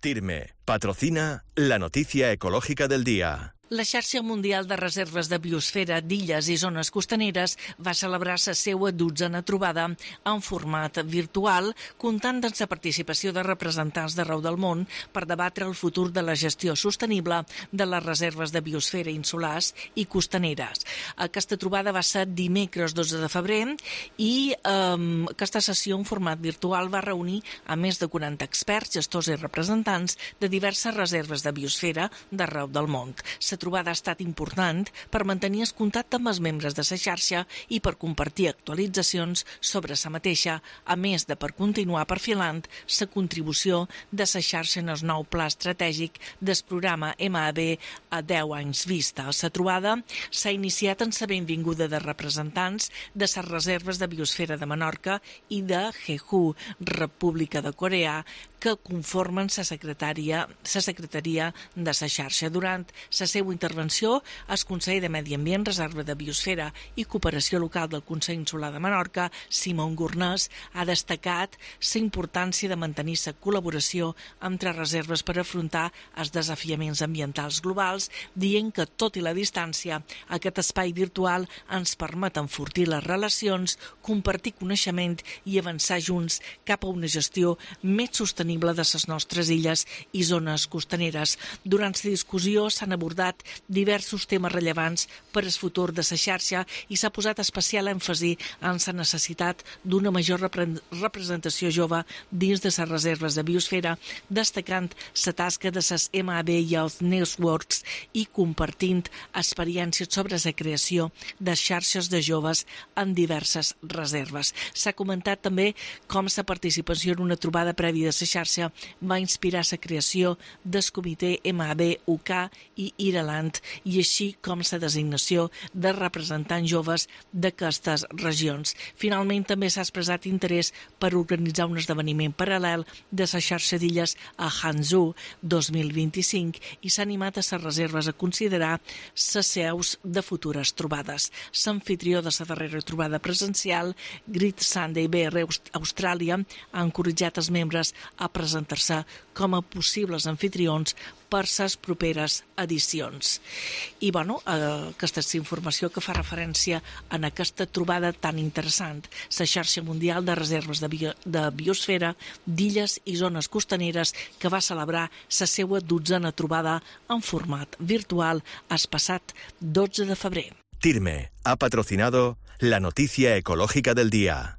TIRME patrocina la noticia ecológica del día. La Xarxa Mundial de Reserves de Biosfera d'Illes i Zones Costaneres va celebrar la seva 12a trobada en format virtual, comptant amb la participació de representants d'arreu del món per debatre el futur de la gestió sostenible de les reserves de biosfera insulars i costaneres. Aquesta trobada va ser dimecres 12 de febrer i aquesta sessió en format virtual va reunir a més de 40 experts, gestors i representants de diverses reserves de biosfera d'arreu del món. La trobada ha estat important per mantenir el contacte amb els membres de la xarxa i per compartir actualitzacions sobre la mateixa, a més de per continuar perfilant la contribució de la xarxa en el nou pla estratègic del programa MAB a 10 anys vista. La trobada s'ha iniciat amb la benvinguda de representants de les reserves de biosfera de Menorca i de Jeju, República de Corea, que conformen la secretaria de la xarxa. Durant la seva intervenció, el conseller de Medi Ambient, Reserva de Biosfera i Cooperació Local del Consell Insular de Menorca, Simon Gornès, ha destacat la importància de mantenir la col·laboració entre reserves per afrontar els desafiaments ambientals globals, dient que, tot i la distància, aquest espai virtual ens permet enfortir les relacions, compartir coneixement i avançar junts cap a una gestió més sostenible de les nostres illes i zones costaneres. Durant la discussió s'han abordat diversos temes rellevants per al futur de la xarxa i s'ha posat especial èmfasi en la necessitat d'una major representació jove dins de les reserves de biosfera, destacant la tasca de les MAB Youth Networks i compartint experiències sobre la creació de xarxes de joves en diverses reserves. S'ha comentat també com la participació en una trobada prèvia de la xarxa va inspirar la creació del comitè MAB UK i Ireland, i així com la designació de representants joves d'aquestes regions. Finalment, també s'ha expressat interès per organitzar un esdeveniment paral·lel de la xarxa d'illes a Hangzhou 2025 i s'ha animat a les reserves a considerar les seus de futures trobades. L'anfitrió de la darrera trobada presencial, Great Sunday BR Austràlia, ha encoratjat els membres a presentar-se com a possibles anfitrions per les properes edicions. I, aquesta és informació que fa referència a aquesta trobada tan interessant, la xarxa mundial de reserves de biosfera d'illes i zones costaneres, que va celebrar la seva 12a trobada en format virtual el passat 12 de febrer. TIRME ha patrocinado la noticia ecológica del día.